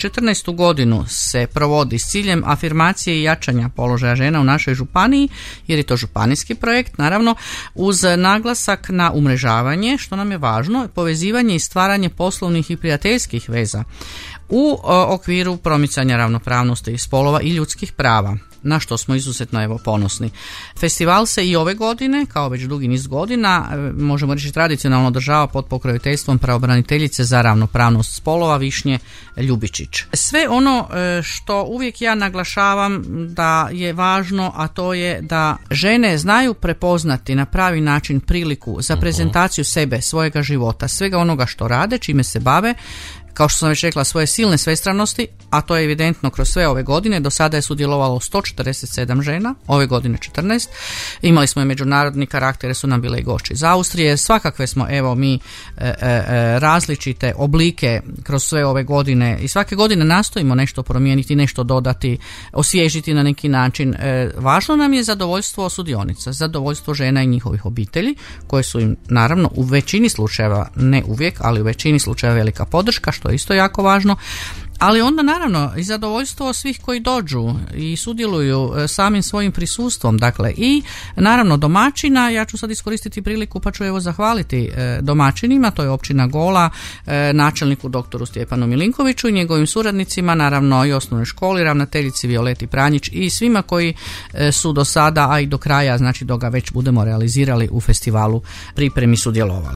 14. godinu se provodi s ciljem afirmacije i jačanja položaja žena u našoj županiji, jer je to županijski projekt, naravno, uz naglasak na umrežavanje, što nam je važno, povezivanje i stvaranje poslovnih i prijateljskih veza u okviru promicanja ravnopravnosti spolova i ljudskih prava, na što smo izuzetno ponosni. Festival se i ove godine, kao već dugi niz godina, možemo reći tradicionalno održava pod pokroviteljstvom pravobraniteljice za ravnopravnost spolova Višnje Ljubičić. Sve ono što uvijek ja naglašavam da je važno, a to je da žene znaju prepoznati na pravi način priliku za prezentaciju sebe, svojega života, svega onoga što rade, čime se bave, kao što sam već rekla, svoje silne svestranosti, a to je evidentno kroz sve ove godine. Do sada je sudjelovalo 147 žena, ove godine 14. Imali smo i međunarodni karakter, su nam bile i gošće iz Austrije. Svakakve smo, mi različite oblike kroz sve ove godine i svake godine nastojimo nešto promijeniti, nešto dodati, osvježiti na neki način. Važno nam je zadovoljstvo sudionica, zadovoljstvo žena i njihovih obitelji, koje su im naravno u većini slučajeva, ne uvijek, ali u većini slučajeva velika podrška, što je isto jako važno, ali onda naravno i zadovoljstvo svih koji dođu i sudjeluju samim svojim prisustvom, dakle i naravno domaćina. Ja ću sad iskoristiti priliku pa ću zahvaliti domaćinima, to je općina Gola, načelniku doktoru Stjepanu Milinkoviću i njegovim suradnicima, naravno i osnovnoj školi, ravnateljici Violeti Pranjić i svima koji su do sada, a i do kraja, znači dok ga već budemo realizirali u festivalu, pripremi sudjelovali.